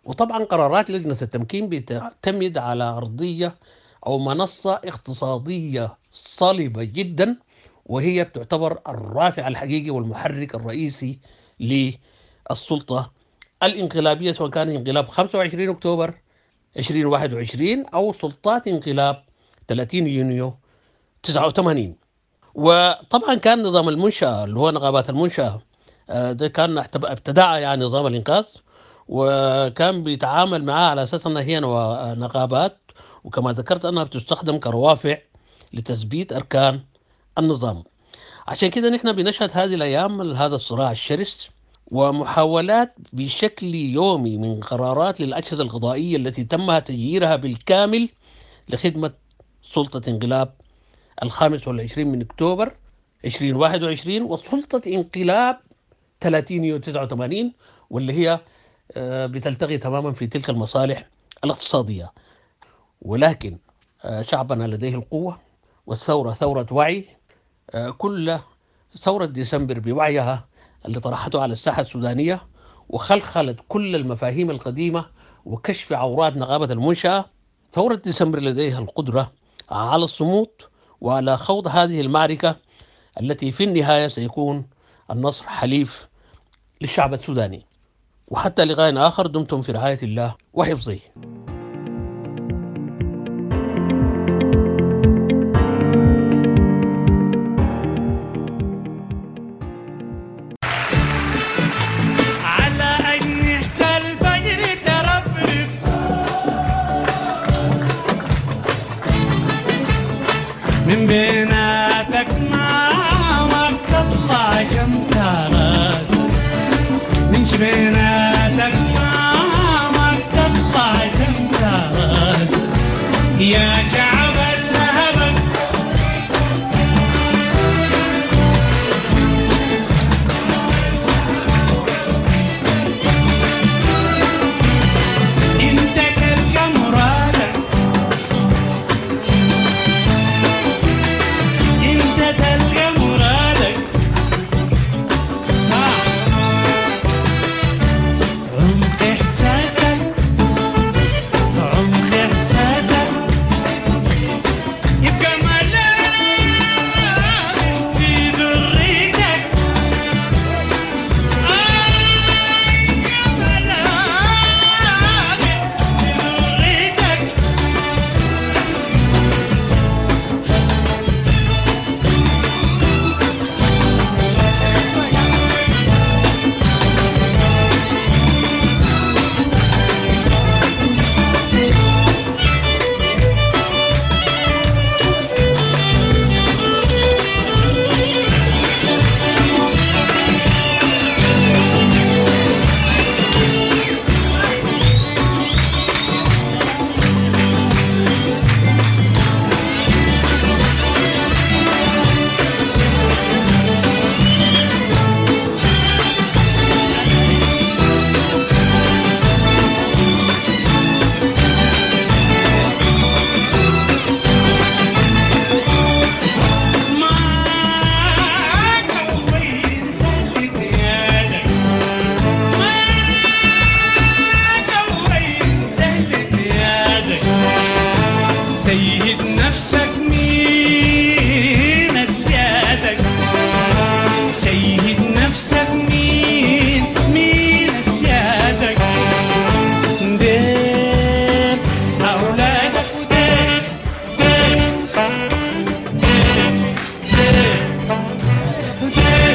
وطبعا قرارات لجنة التمكين بتعتمد على أرضية أو منصة اقتصادية صلبة جدا، وهي بتعتبر الرافع الحقيقي والمحرك الرئيسي للسلطة الانقلابية، سواء كان انقلاب خمسة وعشرين أكتوبر عشرين واحد وعشرين أو سلطات انقلاب ثلاثين يونيو تسعة وثمانين. وطبعا كان نظام المنشأة اللي هو نقابات المنشأة ده كان ابتدع يعني نظام الإنقاذ، وكان بيتعامل معاه على أساس أنها هي نقابات، وكما ذكرت أنها بتستخدم كروافع لتثبيت أركان النظام. عشان كده نحن بنشهد هذه الأيام هذا الصراع الشرس ومحاولات بشكل يومي من قرارات للأجهزة القضائية التي تم تغييرها بالكامل لخدمة سلطة انقلاب الخامس والعشرين من أكتوبر عشرين واحد وعشرين وسلطة انقلاب ثلاثين يونيو تسعة وثمانين، واللي هي بتلتقي تماما في تلك المصالح الاقتصادية. ولكن شعبنا لديه القوة، والثورة ثورة وعي. كل ثورة ديسمبر بوعيها اللي طرحته على الساحة السودانية وخلخلت كل المفاهيم القديمة وكشف عورات نقابة المنشأة. ثورة ديسمبر لديها القدرة على الصمود وعلى خوض هذه المعركة التي في النهاية سيكون النصر حليف للشعب السوداني. وحتى لقاء آخر، دمتم في رعاية الله وحفظه. على أجنحة الفجر ترفرف، من بيناتك ما تطلع شمس راسك، من شبيناتك ما تطلع شمس راسك يا شعب اللهب. انت تلقى مرادك، انت تلقى مرادك، ها. عمق احساسك، عمق احساسك يبقى ملامح في ذريتك، آه يبقى ملامح في ذريتك. ما قوي سلت يدك، ما قوي سلت يدك، سيد نفسك مين سيادك، سيد نفسك مين مين سيادك، دير أولادك ودير دير دير دير دير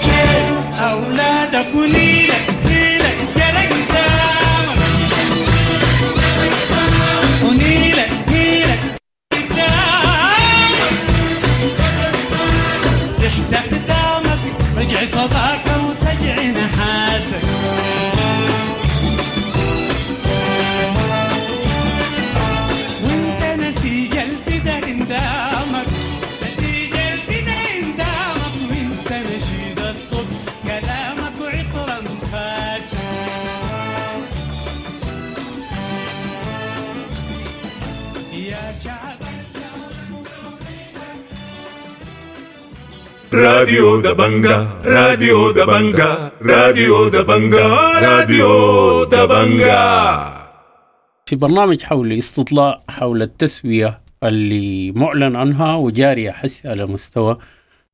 دير أولادك ونيلك نيلك جرى قدامك، ونيلك نيلك قدامك، تحت أقدامك رجع صداك وسجع نحاسك. وانت نسيج الفدا قدامك، نسيج الفدا قدامك، وانت نشيد الصبح كلامك وعطر انفاسك. يا شعب راديو دبنجا، راديو دبنجا، راديو دبنجا، راديو دبنجا. في برنامج حول استطلاع حول التسوية اللي معلن عنها وجارية حس على مستوى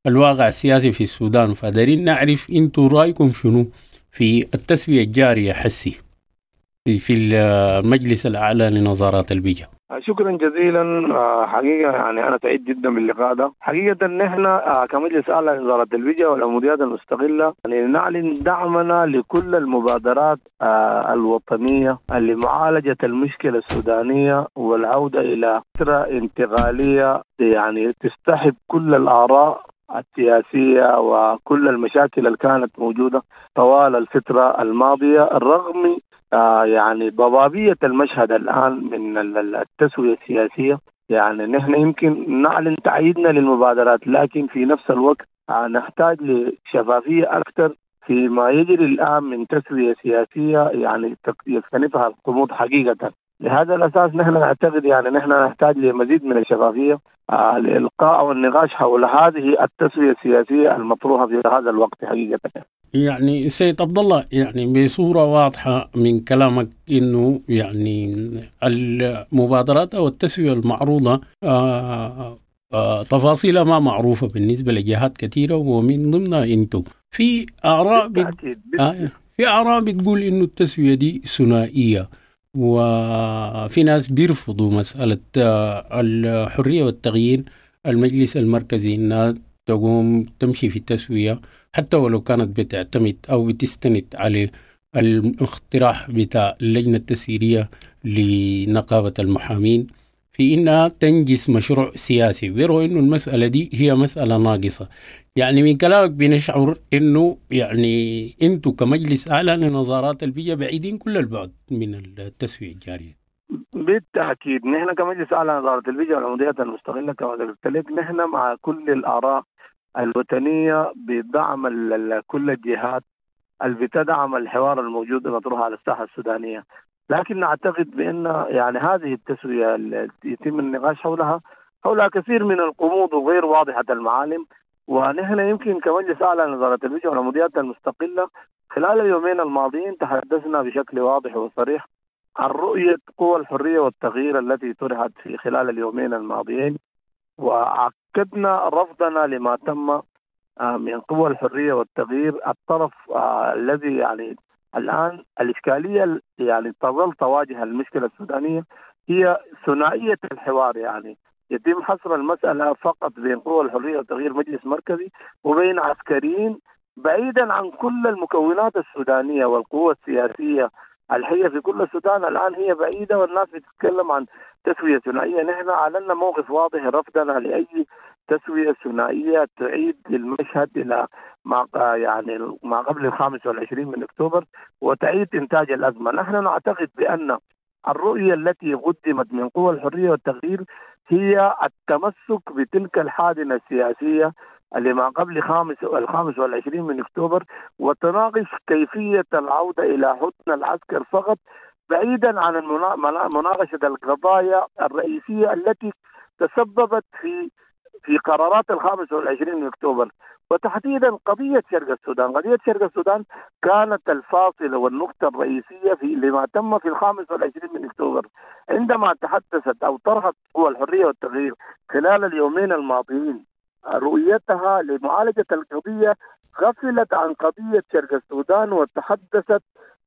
الواقع السياسي في السودان، فدارين نعرف انتوا رأيكم شنو في التسوية الجارية حسي في المجلس الأعلى لنظارات البيئة. شكرا جزيلا. آه، حقيقة يعني أنا سعيد جدا باللقاء ده. حقيقة نحن آه، كمجلس أعلى لنظارة البيئة والعموديات المستقلة يعني نعلن دعمنا لكل المبادرات آه، الوطنية لمعالجة المشكلة السودانية والعودة إلى فترة انتقالية يعني تستحب كل الآراء السياسية وكل المشاكل اللي كانت موجودة طوال الفترة الماضية، رغم آه يعني ضبابية المشهد الآن من ال- ال- التسوية السياسية. يعني نحن يمكن نعلن تأييدنا للمبادرات، لكن في نفس الوقت آه نحتاج لشفافية أكثر فيما يجري الآن من تسوية سياسية يعني تك- يكتنفها القمود حقيقة. لهذا الأساس نحن نعتقد يعني نحن نحتاج لمزيد من الشفافية آه لإلقاء والنقاش حول هذه التسوية السياسية المطروحة في هذا الوقت حقيقة. يعني سيد عبد الله، يعني بصورة واضحة من كلامك إنه يعني المبادرات أو التسوية المعروضة آه آه تفاصيلها ما معروفة بالنسبة لجهات كثيرة، ومن ضمنها أنتم. في آراء بت... آه في آراء بتقول إنه التسوية دي ثنائية، وفي ناس بيرفضوا مسألة الحرية والتغيير المجلس المركزي إنها تقوم تمشي في التسوية حتى ولو كانت بتعتمد أو بتستند على الاقتراح بتاع اللجنة التسييرية لنقابة المحامين في إنها تنجز مشروع سياسي. بيروا إنه المسألة دي هي مسألة ناقصة. يعني من كلامك بنشعر إنه يعني أنتوا كمجلس أعلى لنظارات البيئة بعيدين كل البعد من التسوية الجارية. بالتأكيد نحن كمجلس أعلى لنظارة البيئة والعموديات المستقلة كما قلت لك نحن مع كل الآراء الوطنية بدعم كل الجهات اللي بتدعم الحوار الموجود المطروح على الساحة السودانية، لكن نعتقد بأن يعني هذه التسوية التي يتم النقاش حولها حولها كثير من القمود وغير واضحة المعالم. ونحن يمكن كمجلس أعلى لنظارة البيئة والعموديات المستقلة خلال اليومين الماضيين تحدثنا بشكل واضح وصريح عن رؤية قوى الحرية والتغيير التي طرحت في خلال اليومين الماضيين، وأكدنا رفضنا لما تم من قوى الحرية والتغيير. الطرف الذي يعني الآن الإشكالية يعني تظل تواجه المشكلة السودانية هي ثنائية الحوار، يعني يتم حصر المسألة فقط بين قوى الحرية والتغيير مجلس مركزي وبين عسكريين، بعيدا عن كل المكونات السودانية والقوة السياسية الحية في كل السودان. الآن هي بعيدة والناس بتتكلم عن تسوية ثنائية. نحن أعلنا موقف واضح رفضنا لأي تسوية ثنائية تعيد المشهد إلى ما يعني ما قبل الخامس والعشرين من أكتوبر وتعيد إنتاج الأزمة. نحن نعتقد بأن الرؤية التي قدمت من قوى الحرية والتغيير هي التمسك بتلك الحاضنة السياسية اللي ما قبل خامس الخامس والعشرين من أكتوبر، وتناقش كيفية العودة إلى حضن العسكر فقط، بعيدا عن مناقشة القضايا الرئيسية التي تسببت في في قرارات الخامس والعشرين من أكتوبر، وتحديدا قضية شرق السودان. قضية شرق السودان كانت الفاصلة والنقطة الرئيسية في لما تم في الخامس والعشرين من أكتوبر. عندما تحدثت أو طرحت قوى الحرية والتغيير خلال اليومين الماضيين رؤيتها لمعالجة القضية، غفلت عن قضية شرق السودان وتحدثت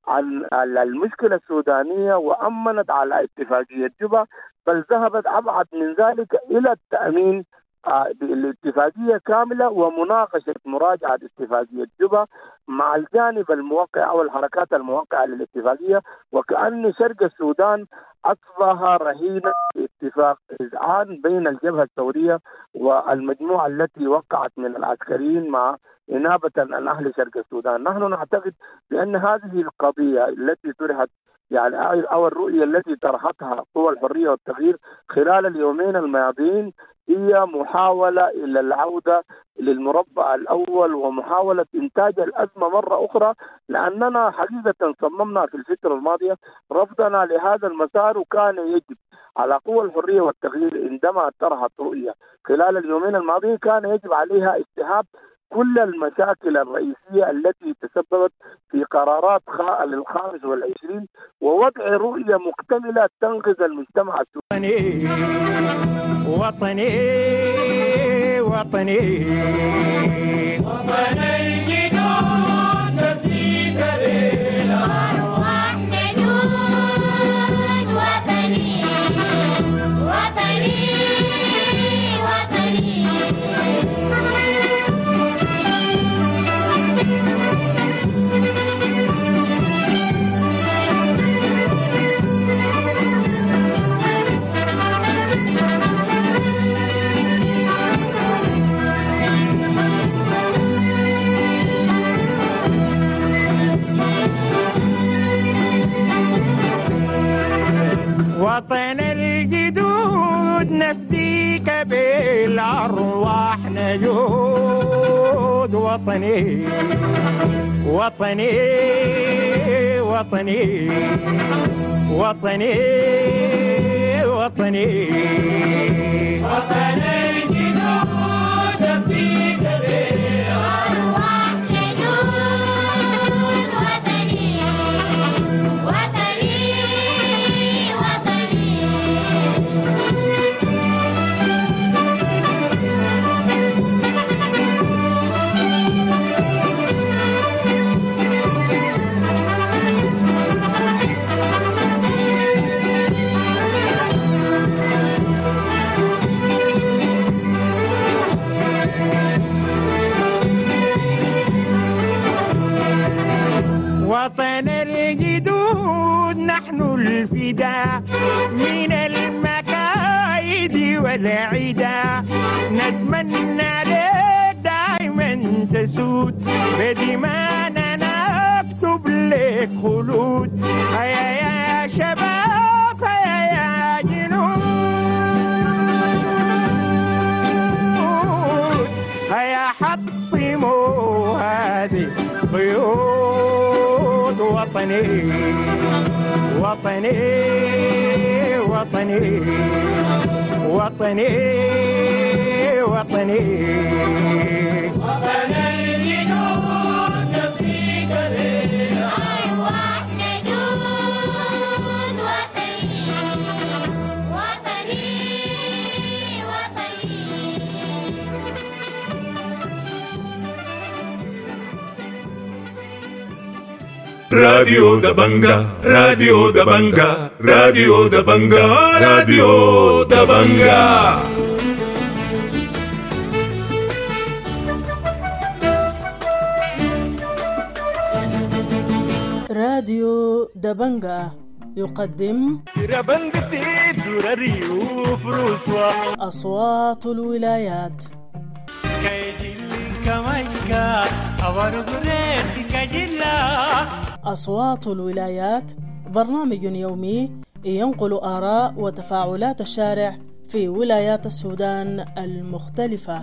عن المشكلة السودانية وأمنت على اتفاقية جوبا، بل ذهبت أبعد من ذلك إلى التأمين بالاتفاقية كاملة ومناقشة مراجعة اتفاقية جوبا مع الجانب الموقع أو الحركات الموقعة للاتفاقية، وكأن شرق السودان أصبح رهينة اتفاق إذعان بين الجبهة الثورية والمجموعة التي وقعت من العسكريين مع إنابة عن أهل شرق السودان. نحن نعتقد بأن هذه القضية التي طرحت يعني أو الرؤية التي طرحتها قوى الحرية والتغيير خلال اليومين الماضيين هي محاولة إلى العودة للمربع الأول ومحاولة إنتاج الأزمة مرة أخرى، لأننا حقيقة صممنا في الفترة الماضية رفضنا لهذا المسار، وكان يجب على قوى الحرية والتغيير عندما طرحت رؤية خلال اليومين الماضيين كان يجب عليها استيعاب كل المشاكل الرئيسية التي تسببت في قرارات الخامس والعشرين ووضع رؤية مكتملة تنقذ المجتمع السوداني. وطني وطني وطني جدود في سبيل أرواح نجود وطني وطني وطني. وطن الجدود نفديك بالأرواح نجود وطني وطني وطني وطني وطني وطن الجدود نفديك بالأرواح نجود نحن الفداء من المكايد والعدا. نتمنى لك دايما تسود بدمانا نكتب لك خلود. هيا يا شباب هيا يا جنود، هيا حطموا هذه قيود. وطني وطني وطني وطني وطني وطن الجنود نفديك بالأرواح نجود. وطني وطني وطني. راديو دبنجا، راديو دبنجا، راديو دبنجا، راديو دبنجا. راديو دبنجا يقدم أصوات الولايات. أصوات الولايات برنامج يومي ينقل آراء وتفاعلات الشارع في ولايات السودان المختلفة.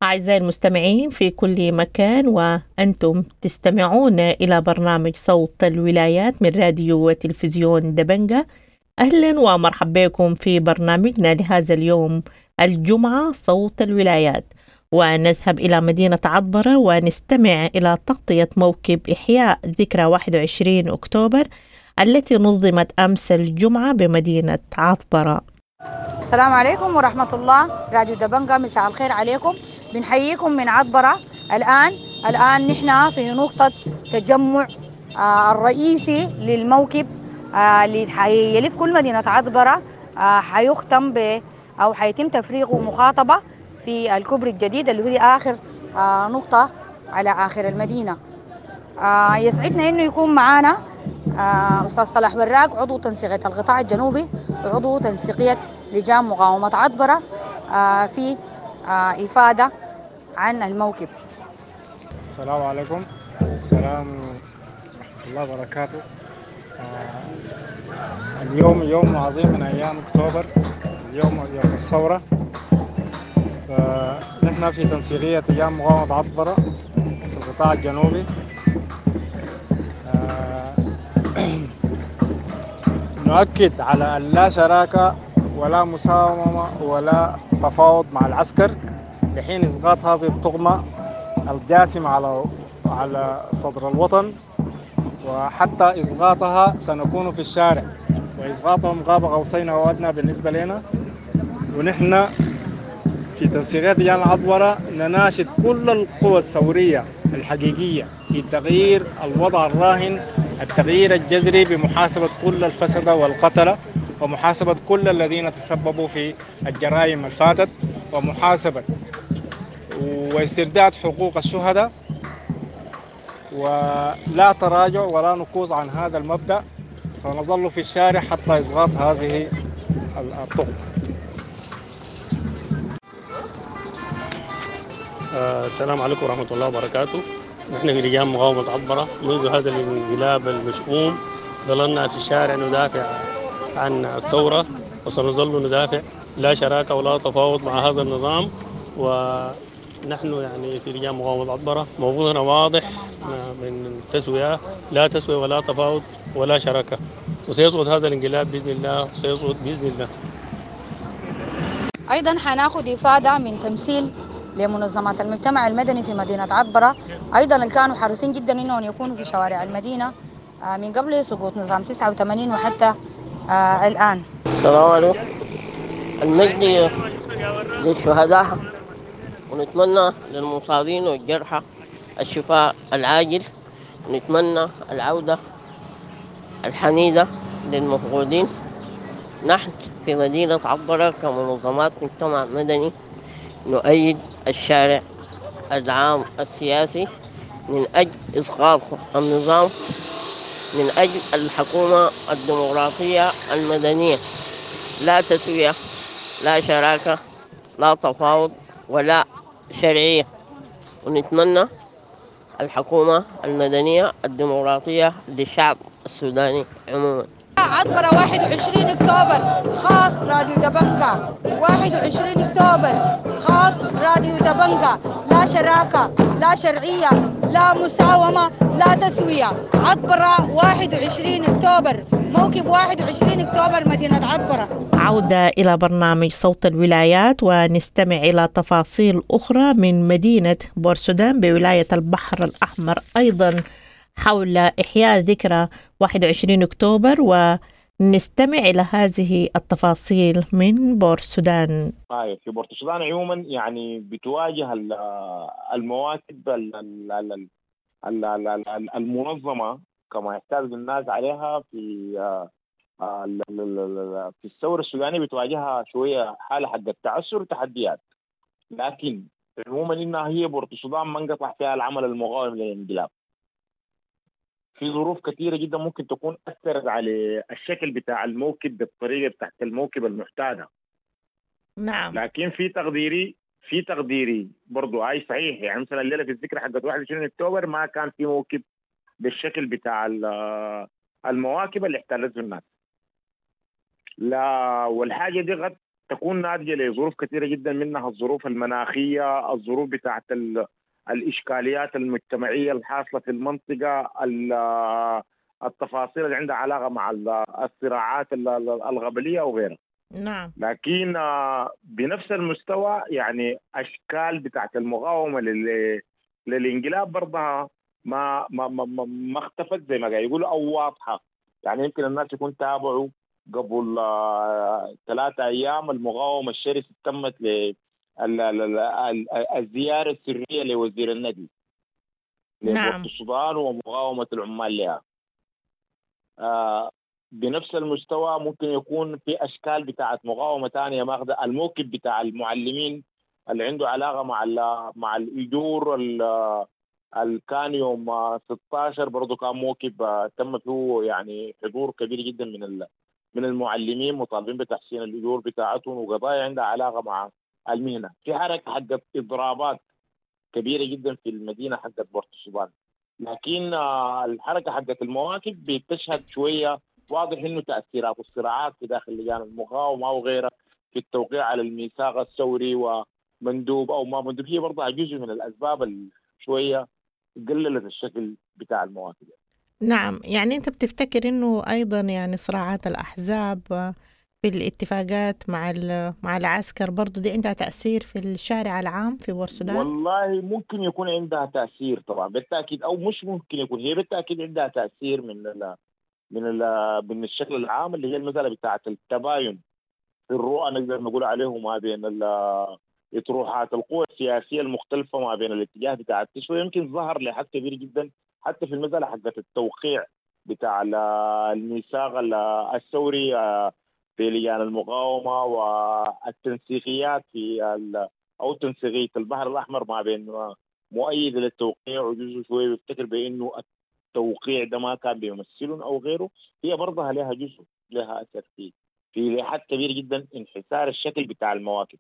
أعزائي المستمعين في كل مكان، وأنتم تستمعون إلى برنامج صوت الولايات من راديو وتلفزيون دبنجة. أهلا ومرحبا بكم في برنامجنا لهذا اليوم الجمعة صوت الولايات، ونذهب إلى مدينة عطبرة ونستمع إلى تغطية موكب إحياء ذكرى واحد وعشرين أكتوبر التي نظمت أمس الجمعة بمدينة عطبرة. السلام عليكم ورحمة الله. راديو دبنجة مساء الخير عليكم، بنحييكم من عطبرة. الآن الآن نحن في نقطة تجمع الرئيسي للموكب اللي حيلف كل مدينة عطبرة، حيختم ب أو حيتم تفريغه مخاطبة في الكوبري الجديد اللي هو آخر نقطة على آخر المدينة. يسعدنا إنه يكون معانا أستاذ صلاح وراق، عضو تنسيقية القطاع الجنوبي وعضو تنسيقية لجان مقاومة عطبرة، في إفادة عن الموكب. السلام عليكم. السلام ورحمة الله وبركاته. اليوم يوم عظيم من أيام أكتوبر، اليوم يوم الثورة. نحن في تنسيقية لجان مقاومة عطبرة في القطاع الجنوبي نؤكد على أن لا شراكة ولا مساومة ولا تفاوض مع العسكر لحين إسقاط هذه الطغمة الجاسمة على على صدر الوطن، وحتى إسقاطها سنكون في الشارع، وإسقاطهم غاب قوسين أو أدنى بالنسبة لنا. ونحن في تنسيقية لجان عطبرة نناشد كل القوى الثورية الحقيقية في تغيير الوضع الراهن، التغيير الجذري بمحاسبة كل الفسدة والقتلة، ومحاسبة كل الذين تسببوا في الجرائم الفاتت، ومحاسبة واسترداد حقوق الشهداء، ولا تراجع ولا نكوص عن هذا المبدأ. سنظل في الشارع حتى إسقاط هذه الطغمة. السلام عليكم ورحمة الله وبركاته. نحن في لجان مقاومة عطبرة منذ هذا الانقلاب المشؤوم ظللنا في الشارع ندافع عن الثورة، وسنظل ندافع، لا شراكة ولا تفاوض مع هذا النظام. ونحن يعني في لجان مقاومة عطبرة موقفنا واضح من تسوية، لا تسوية ولا تفاوض ولا شراكة، وسيسقط هذا الانقلاب بإذن الله، سيسقط بإذن الله. أيضا حناخد إفادة من تمثيل لمنظمات المجتمع المدني في مدينة عطبرة، أيضا اللي كانوا حريصين جدا إنهم يكونوا في شوارع المدينة من قبل سقوط نظام تسعة وثمانين وحتى الآن. السلام عليكم. المجد للشهداء، ونتمنى للمصابين والجرحى الشفاء العاجل، ونتمنى العودة الحميدة للمفقودين، نحن في مدينة عطبرة كمنظمات مجتمع مدني نؤيد الشارع العام السياسي من أجل إسقاط النظام، من أجل الحكومة الديمقراطية المدنية. لا تسوية، لا شراكة، لا تفاوض، ولا شرعية. ونتمنى الحكومة المدنية الديمقراطية للشعب السوداني عموما. عطبرة واحد وعشرين أكتوبر خاص راديو دبنجا، واحد وعشرين أكتوبر خاص راديو دبنجا. لا شراكة، لا شرعية، لا مساومة، لا تسوية. عطبرة واحد وعشرين أكتوبر، موكب واحد وعشرين أكتوبر، مدينة عطبرة. عودة إلى برنامج صوت الولايات ونستمع إلى تفاصيل أخرى من مدينة بورسودان بولاية البحر الأحمر أيضا حول إحياء ذكرى واحد وعشرين أكتوبر، ونستمع إلى هذه التفاصيل من بورسودان. طيب في بورسودان عموما يعني بتواجه المواكب المنظمة كما يحتاج الناس عليها في في الثورة السودانية، بتواجهها شوية حالة حق التعثر وتحديات، لكن عموما إنها هي بورسودان ما انقطع فيها العمل المقاوم للانقلاب. في ظروف كثيرة جدا ممكن تكون أثرت على الشكل بتاع الموكب بالطريقة بتاعت الموكب المعتادة. نعم. لكن في تقديري في تقديري برضو أي صحيح، يعني مثلا الليلة في الذكرى حقت واحد وعشرين أكتوبر ما كان في موكب بالشكل بتاع المواكب اللي احتلته الناس. لا، والحاجة دي قد تكون ناتجة لظروف كثيرة جدا، منها الظروف المناخية، الظروف بتاعت ال الإشكاليات المجتمعية الحاصلة في المنطقة، التفاصيل اللي عندها علاقة مع الصراعات الغبلية وغيرها. نعم. لكن بنفس المستوى يعني أشكال بتاعت المقاومة للانقلاب برضها ما ما ما, ما اختفت زي ما قاعد يقولوا أو واضحة. يعني يمكن الناس يكون تابعوا قبل ثلاثة أيام المقاومة الشرسة تمت ل الزيارة السرية لوزير النقل نعم. السودان ومقاومة العمال لها. آه بنفس المستوى ممكن يكون في أشكال بتاعة مقاومة تانية ماخذة الموكب بتاع المعلمين اللي عنده علاقة مع مع الأجور اللي كان يوم ستة عشر برضو كان موكب تم فيه يعني حضور كبير جدا من من المعلمين مطالبين بتحسين الأجور بتاعتهم وقضايا عندها علاقة مع المهنة. في حركة حقت إضرابات كبيرة جدا في المدينة حقت بورتسودان، لكن الحركة حقت المواكب بتشهد شوية واضح إنه تأثيرات الصراعات في داخل لجان المقاومة وغيرها في التوقيع على الميثاق الثوري ومندوب أو ما مندوب هي برضه جزء من الأسباب شوية قللت الشكل بتاع المواكب. نعم، يعني أنت بتفتكر إنه أيضا يعني صراعات الأحزاب في الاتفاقات مع مع العسكر برضو دي عندها تأثير في الشارع العام في بورسودان؟ والله ممكن يكون عندها تأثير طبعا بالتأكيد، أو مش ممكن يكون، هي بالتأكيد عندها تأثير من ال من ال من الشكل العام اللي هي المسألة بتاعة التباين في الرؤى نقدر نقول عليه ما بين اطروحات القوى السياسية المختلفة ما بين الاتجاه بتاع التشوي. يمكن ظهر لحد كبير جدا حتى في المسألة حقت التوقيع بتاع الميثاق الثوري في لجان المقاومة والتنسيقيات في أو تنسيقية البحر الأحمر ما بين مؤيد للتوقيع وجزء شوية بيفتكر بأنه التوقيع ده ما كان بيمثلهم أو غيره. هي برضها لها جزء لها أثر فيه في لحد كبير جدا انحسار الشكل بتاع المواكب.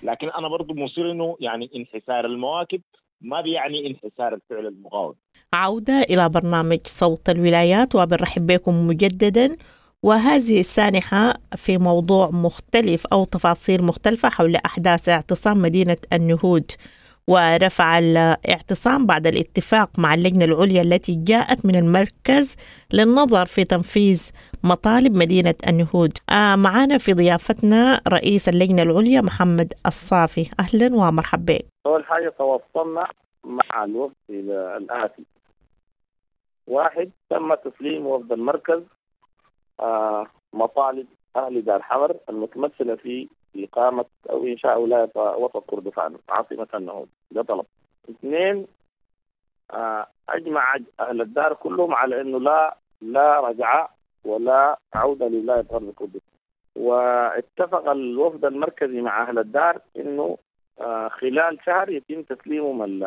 لكن أنا برضو مصير أنه يعني انحسار المواكب ما بيعني انحسار الفعل المقاوم. عودة إلى برنامج صوت الولايات وبنرحب بكم مجددا، وهذه السانحة في موضوع مختلف أو تفاصيل مختلفة حول أحداث اعتصام مدينة النهود ورفع الاعتصام بعد الاتفاق مع اللجنة العليا التي جاءت من المركز للنظر في تنفيذ مطالب مدينة النهود. آه معنا في ضيافتنا رئيس اللجنة العليا محمد الصافي، أهلا ومرحبا بك. أول حاجة تواصلنا مع الوفد إلى الآتي: واحد، تم تسليم وفد المركز آه مطالب أهل دار حمر المتمثلة في إقامة أو إنشاء ولاية وسط كردفان عاصمة النهود، ده طلب. اثنين، آه أجمع أهل الدار كلهم على أنه لا لا رجعة ولا عودة لولاية غرب كردفان. واتفق الوفد المركزي مع أهل الدار إنه خلال شهر يتم تسليمهم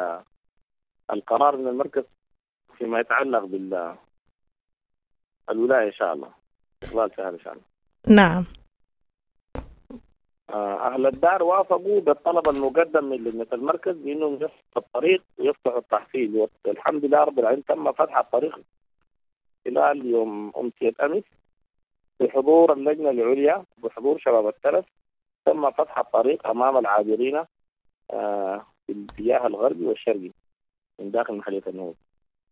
القرار من المركز فيما يتعلق بال الولاية إن شاء الله خلال شهر إن شاء الله. نعم. أهل الدار وافقوا بالطلب المقدم من لجنة المركز بأنهم يفتحوا الطريق ويفتحوا التحصيل، والحمد لله رب العالمين تم فتح الطريق خلال يوم أمسية أمس بحضور اللجنة العليا بحضور شباب الترس. تم فتح الطريق أمام العابرين في الاتجاه الغربي والشرقي من داخل محلية النوبة.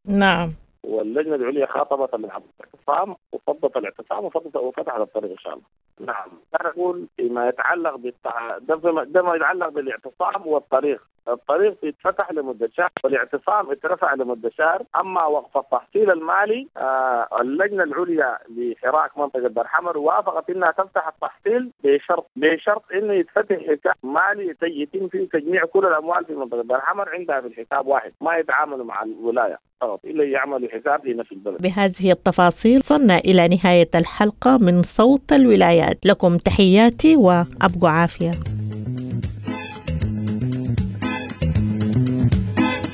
نعم. واللجنة العليا خاطبت الاعتصام وفضت الاعتصام وفضت وفتحت الطريق إن شاء الله. نعم. أنا أقول فيما يتعلق بالتع... ده ما يتعلق بالاعتصام والطريق. الطريق يتفتح لمدة شهر والاعتصام اترفع لمدة شهر. أما وقف التحصيل المالي آه اللجنة العليا لحراك منطقة دار حمر وافقت إنها تفتح التحصيل بشرط بشرط إنه يتفتح حساب مالي يتم فيه تجميع كل الأموال في منطقة دار حمر عندها في الحساب واحد، ما يتعاملوا مع الولاية فقط إلا يعملوا حساب لنا في البلد. بهذه التفاصيل وصلنا إلى نهاية الحلقة من صوت الولايات. لكم تحياتي وأبقوا عافية.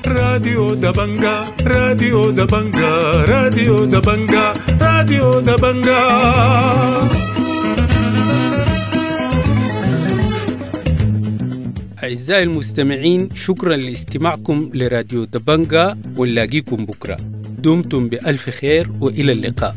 راديو دبنجا، راديو دبنجا، راديو دبنجا، راديو دبنجا. أعزائي المستمعين، شكرا لاستماعكم لراديو دبنجا، ونلاقيكم بكرة. دمتم بألف خير وإلى اللقاء.